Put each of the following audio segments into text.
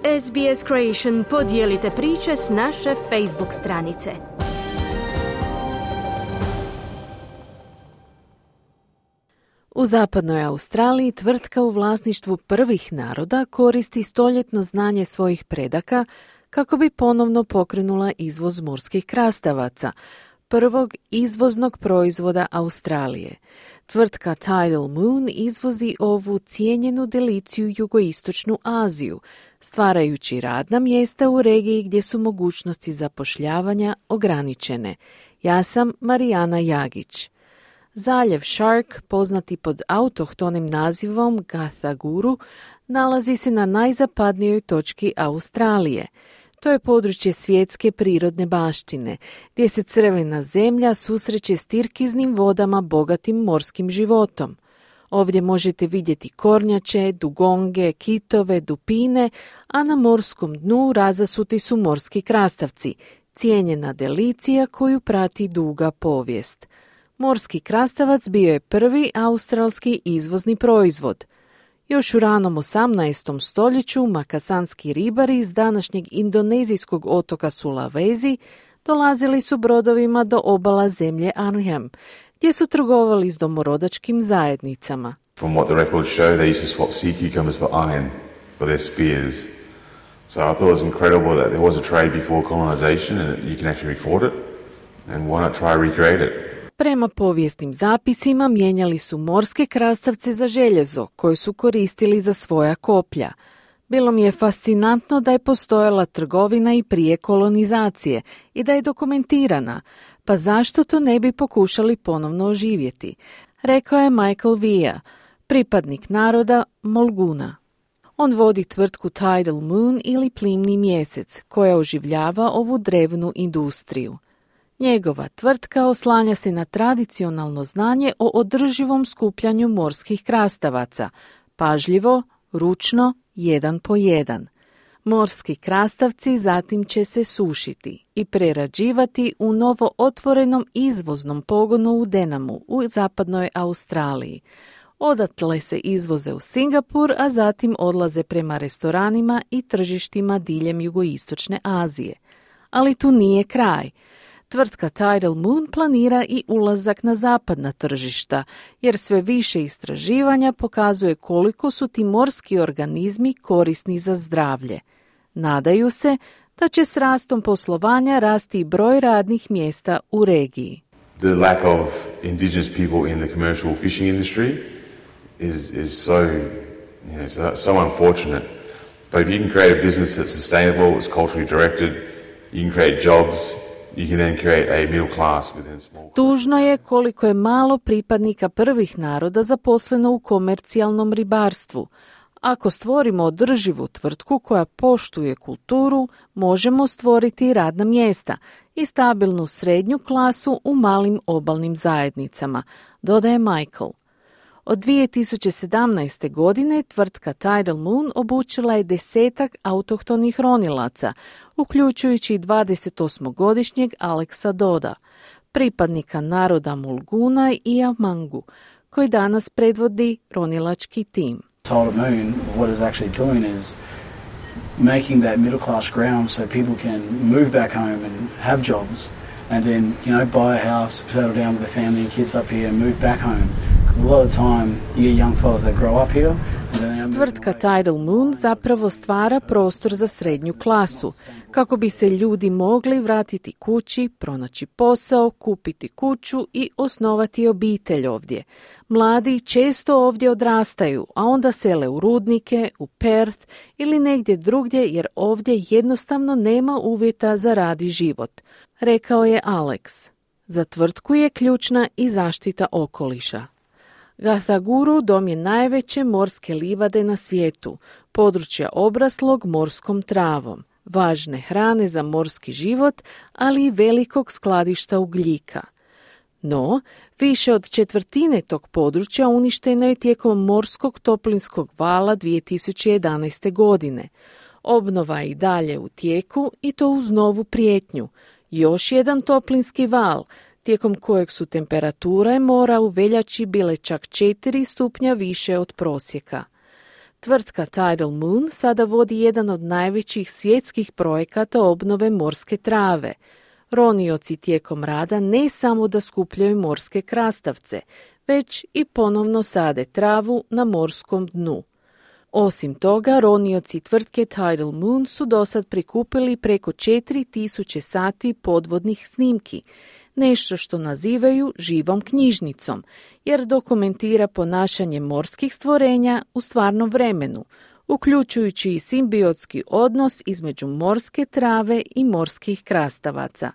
SBS Creation, podijelite priče s naše Facebook stranice. U zapadnoj Australiji tvrtka u vlasništvu prvih naroda koristi stoljetno znanje svojih predaka kako bi ponovno pokrenula izvoz morskih krastavaca, prvog izvoznog proizvoda Australije. Tvrtka Tidal Moon izvozi ovu cijenjenu deliciju jugoistočnu Aziju, stvarajući radna mjesta u regiji gdje su mogućnosti zapošljavanja ograničene. Ja sam Marijana Jagić. Zaljev Shark, poznati pod autohtonim nazivom Gathaguru, nalazi se na najzapadnijoj točki Australije. To je područje svjetske prirodne baštine, gdje se crvena zemlja susreće s tirkiznim vodama bogatim morskim životom. Ovdje možete vidjeti kornjače, dugonge, kitove, dupine, a na morskom dnu razasuti su morski krastavci, cijenjena delicija koju prati duga povijest. Morski krastavac bio je prvi australski izvozni proizvod. Još u ranom 18. stoljeću makasanski ribari iz današnjeg indonezijskog otoka Sulawesi dolazili su brodovima do obala zemlje Arnhem, gdje su trgovali s domorodačkim zajednicama. From what the records show, they used to swap sea cucumbers for iron for their spears. So I thought it was incredible that there was a trade before colonization and you can actually record it. And why not try recreate it? Prema povijesnim zapisima mijenjali su morske krastavce za željezo, koje su koristili za svoja koplja. Bilo mi je fascinantno da je postojala trgovina i prije kolonizacije i da je dokumentirana, pa zašto to ne bi pokušali ponovno oživjeti, rekao je Michael Via, pripadnik naroda Mulguna. On vodi tvrtku Tidal Moon ili Plimni mjesec, koja oživljava ovu drevnu industriju. Njegova tvrtka oslanja se na tradicionalno znanje o održivom skupljanju morskih krastavaca, pažljivo, ručno, jedan po jedan. Morski krastavci zatim će se sušiti i prerađivati u novo otvorenom izvoznom pogonu u Denamu u zapadnoj Australiji. Odatle se izvoze u Singapur, a zatim odlaze prema restoranima i tržištima diljem jugoistočne Azije. Ali tu nije kraj. Tvrtka Tidal Moon planira i ulazak na zapadna tržišta, jer sve više istraživanja pokazuje koliko su ti morski organizmi korisni za zdravlje. Nadaju se da će s rastom poslovanja rasti i broj radnih mjesta u regiji. The lack of indigenous people in the commercial fishing industry is so unfortunate. But if you can create a business that's sustainable, it's culturally directed, you can create jobs. Tužno je koliko je malo pripadnika prvih naroda zaposleno u komercijalnom ribarstvu. Ako stvorimo održivu tvrtku koja poštuje kulturu, možemo stvoriti radna mjesta i stabilnu srednju klasu u malim obalnim zajednicama, dodaje Michael. Od 2017. godine tvrtka Tidal Moon obučila je 10 autohtonih ronilaca, uključujući 28-godišnjeg Alexa Doda, pripadnika naroda Mulguna i Amangu, koji danas predvodi ronilački tim. Tidal Moon, what is actually doing is making that middle class ground so people can move back home and have jobs and then, buy a house, settle down with their family and kids up here and move back home. Tvrtka Tidal Moon zapravo stvara prostor za srednju klasu, kako bi se ljudi mogli vratiti kući, pronaći posao, kupiti kuću i osnovati obitelj ovdje. Mladi često ovdje odrastaju, a onda sele u Rudnike, u Perth ili negdje drugdje jer ovdje jednostavno nema uvjeta za rad i život, rekao je Alex. Za tvrtku je ključna i zaštita okoliša. Gathaguru dom je najveće morske livade na svijetu, područja obraslog morskom travom, važne hrane za morski život, ali i velikog skladišta ugljika. No, više od četvrtine tog područja uništeno je tijekom morskog toplinskog vala 2011. godine. Obnova je i dalje u tijeku i to uz novu prijetnju. Još jedan toplinski val, tijekom kojeg su temperature mora u veljači bile čak 4 stupnja više od prosjeka. Tvrtka Tidal Moon sada vodi jedan od najvećih svjetskih projekata obnove morske trave. Ronioci tijekom rada ne samo da skupljaju morske krastavce, već i ponovno sade travu na morskom dnu. Osim toga, ronioci tvrtke Tidal Moon su dosad prikupili preko 4000 sati podvodnih snimki, nešto što nazivaju živom knjižnicom, jer dokumentira ponašanje morskih stvorenja u stvarnom vremenu, uključujući i simbiotski odnos između morske trave i morskih krastavaca.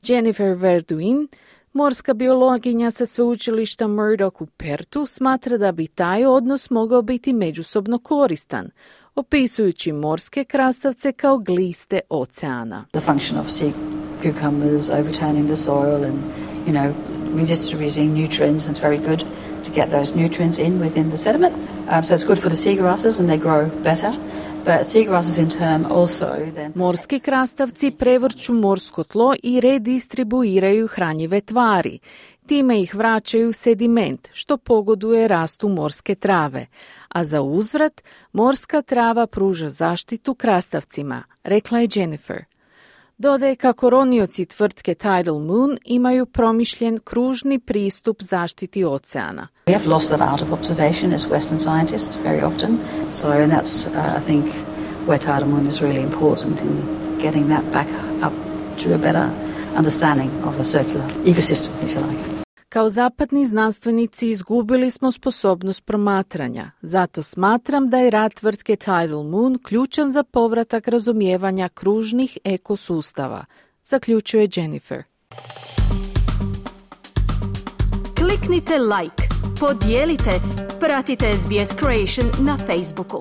Jennifer Verduin, morska biologinja sa sveučilišta Murdoch u Pertu, smatra da bi taj odnos mogao biti međusobno koristan, opisujući morske krastavce kao gliste oceana. The function of sea cucumbers overturning the soil and, redistributing nutrients, and it's very good to get those nutrients within the sediment. So it's good for the seagrasses and they grow better. But seagrasses in turn also then... Morski krastavci prevrću morsko tlo i redistribuiraju hranjive tvari. Time ih vraćaju sediment, što pogoduje rastu morske trave. A za uzvrat, morska trava pruža zaštitu krastavcima, rekla je Jennifer. Dodaje kako ronioci tvrtke Tidal Moon imaju promišljen kružni pristup zaštiti oceana. We have lost that art of observation as Western scientists very often. And that's, I think, where Tidal Moon is really important in getting that back up to a better understanding of a circular ecosystem, if you like. Kao zapadni znanstvenici izgubili smo sposobnost promatranja, zato smatram da je rad tvrtke Tidal Moon ključan za povratak razumijevanja kružnih ekosustava, zaključuje Jennifer. Kliknite like, podijelite, pratite SBS Creation na Facebooku.